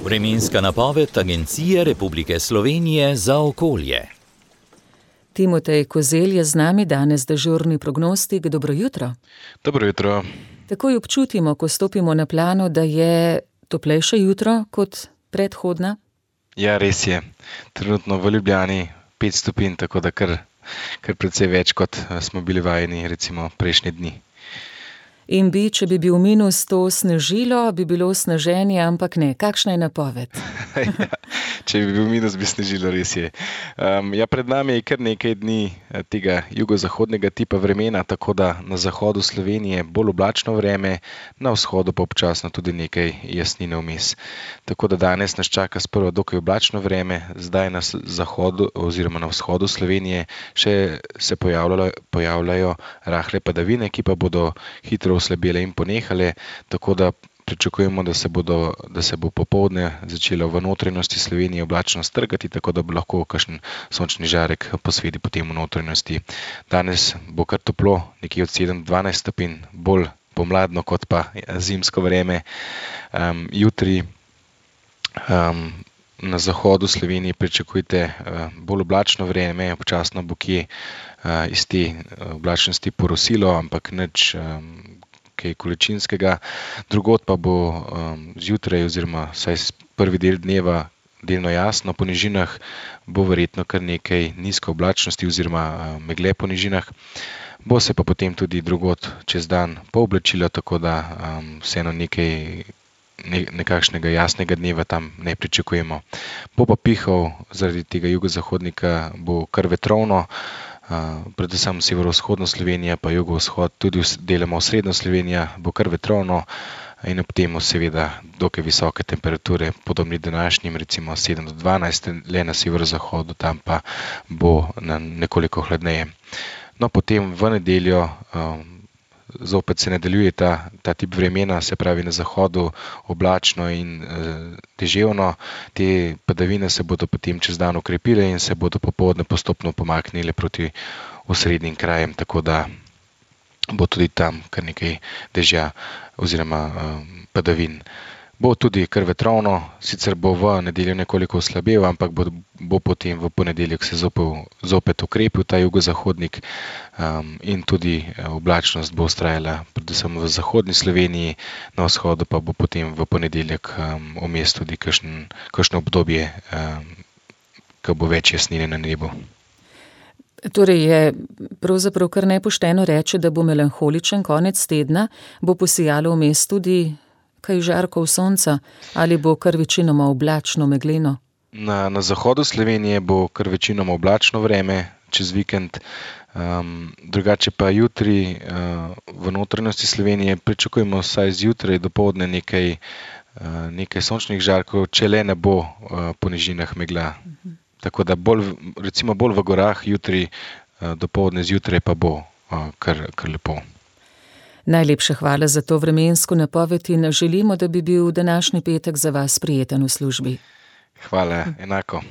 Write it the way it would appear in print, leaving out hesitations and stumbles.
Vremenska napoved Agencije Republike Slovenije za okolje. Timotej Kozelj je z nami, danes dežurni prognostik. Dobro jutro. Dobro jutro. Takoj občutimo, ko stopimo na plano, da je toplejše jutro kot predhodna? Ja, res je. Trenutno v Ljubljani 5 stopinj, tako da kar precej več, kot smo bili vajeni recimo prejšnje dni. In če bi bil minus, to snežilo, bi bilo sneženje, ampak ne. Kakšna je napoved? Ja, če bi bil minus, bi snežilo, res je. Pred nami je kar nekaj dni tega jugozahodnega tipa vremena, tako da na zahodu Slovenije bolj oblačno vreme, na vzhodu pa občasno tudi nekaj jasnine vmes. Tako da danes nas čaka sprva dokaj oblačno vreme, zdaj na zahodu oziroma na vzhodu Slovenije še se pojavljajo rahle padavine, ki pa bodo hitro oslabele in ponehale, tako da pričakujemo, da se bo popoldne začelo v notranjosti Slovenije oblačno strgati, tako da bo lahko kakšen sončni žarek posveti potem v notranjosti. Danes bo kar toplo, nekje od 7-12 stopinj, bolj pomladno kot pa zimsko vreme. Jutri na zahodu Slovenije pričakujte bolj oblačno vreme, občasno bo kje iz te oblačnosti porosilo, ampak nič kaj količinskega. Drugod pa bo zjutraj oziroma vsaj prvi del dneva delno jasno, po nižinah bo verjetno kar nekaj nizko oblačnosti oziroma megle po nižinah. Bo se pa potem tudi drugod čez dan pooblačilo, tako da vseeno nekakšnega jasnega dneva tam ne pričakujemo. Bo pa pihal zaradi tega jugozahodnika, bo kar vetrovno, predvsem severovzhodno Slovenija, pa jugovzhod, tudi deloma osrednjo Slovenijo bo kar vetrovno in ob temu seveda dokaj visoke temperature, podobni današnjim, recimo 7 do 12, le na severozahodu, tam pa bo nekoliko hladneje. No, potem v nedeljo zopet se nadaljuje ta tip vremena, se pravi na zahodu oblačno in deževno. Te padavine se bodo potem čez dan okrepile in se bodo popoldne postopno pomaknile proti osrednjim krajem, tako da bo tudi tam kar nekaj dežja oziroma padavin. Bo tudi kar vetrovno, sicer bo v nedeljo nekoliko oslabel, ampak bo potem v ponedeljek se zopet ukrepil ta jugozahodnik in tudi oblačnost bo vztrajala predvsem v zahodni Sloveniji, na vzhodu pa bo potem v ponedeljek vmes tudi kakšno obdobje, ko bo več jasnine na nebu. Torej je pravzaprav kar nepošteno reči, da bo melanholičen konec tedna, bo posijalo vmes tudi kaj žarkov sonca ali bo kar večinoma oblačno, megleno? Na zahodu Slovenije bo kar večinoma oblačno vreme čez vikend, drugače pa jutri v notranjosti Slovenije pričakujemo vsaj zjutraj dopoldne nekaj sončnih žarkov, če le ne bo po nižinah megla. Tako da bolj v gorah jutri dopoldne, zjutraj pa bo kar lepo. Najlepša hvala za to vremensko napoved in želimo, da bi bil današnji petek za vas prijeten v službi. Hvala, enako.